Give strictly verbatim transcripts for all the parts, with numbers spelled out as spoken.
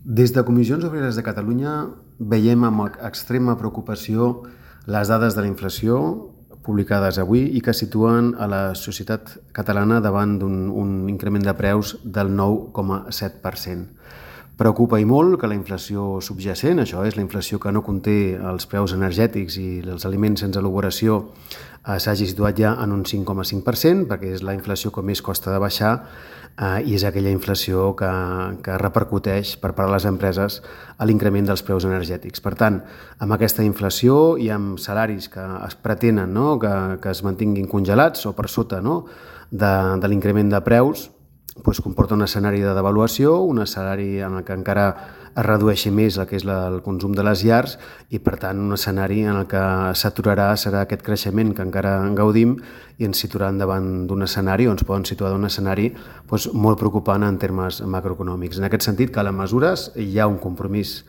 Des de Comissions Obreres de Catalunya veiem amb extrema preocupació les dades de la inflació publicades avui i que situen a la societat catalana davant d'un un increment de preus del nou coma set per cent. Preocupa i molt que la inflació subjacent, això és la inflació que no conté els preus energètics i els aliments sense elaboració, eh, s'hagi situat ja en un cinc coma cinc per cent, perquè és la inflació que més costa de baixar eh, i és aquella inflació que, que repercuteix per part de les empreses a l'increment dels preus energètics. Per tant, amb aquesta inflació i amb salaris que es pretenen, no? que, que es mantinguin congelats o per sota, no? de, de l'increment de preus, doncs comporta un escenari de devaluació, un escenari en el que encara es redueixi més el que és la, el consum de les llars i, per tant, un escenari en el que s'aturarà serà aquest creixement que encara en gaudim i ens situaran davant d'un escenari, o ens poden situar d'un escenari doncs, molt preocupant en termes macroeconòmics. En aquest sentit, calen mesures, hi ha un compromís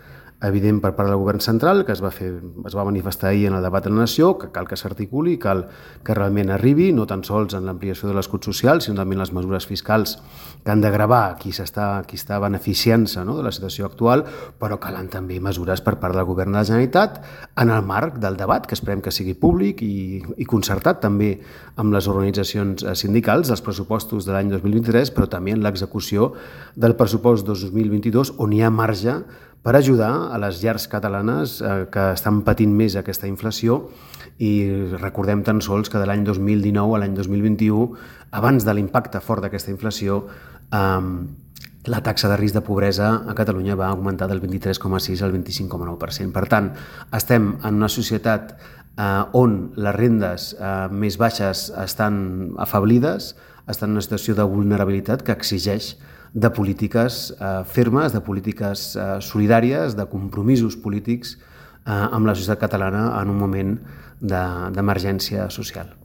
evident per part del govern central, que es va, fer, es va manifestar ahir en el debat de la nació, que cal que s'articuli, cal que realment arribi, no tan sols en l'ampliació de l'escut social, sinó també en les mesures fiscals que han de gravar qui, s'està, qui està beneficiant-se, no? de la situació actual, però calen també mesures per part del govern de la Generalitat en el marc del debat, que esperem que sigui públic i, i concertat també amb les organitzacions sindicals dels pressupostos de l'any dos mil vint-i-tres, però també en l'execució del pressupost dos mil vint-i-dos, on hi ha marge per ajudar a les llars catalanes eh, que estan patint més aquesta inflació i recordem tan sols que de l'any dos mil dinou a l'any dos mil vint-i-u, abans de l'impacte fort d'aquesta inflació, eh, la taxa de risc de pobresa a Catalunya va augmentar del vint-i-tres coma sis al vint-i-cinc coma nou per cent. Per tant, estem en una societat eh, on les rendes eh, més baixes estan afeblides, estan en una situació de vulnerabilitat que exigeix de polítiques eh, fermes, de polítiques eh, solidàries, de compromisos polítics eh, amb la societat catalana en un moment d'emergència social.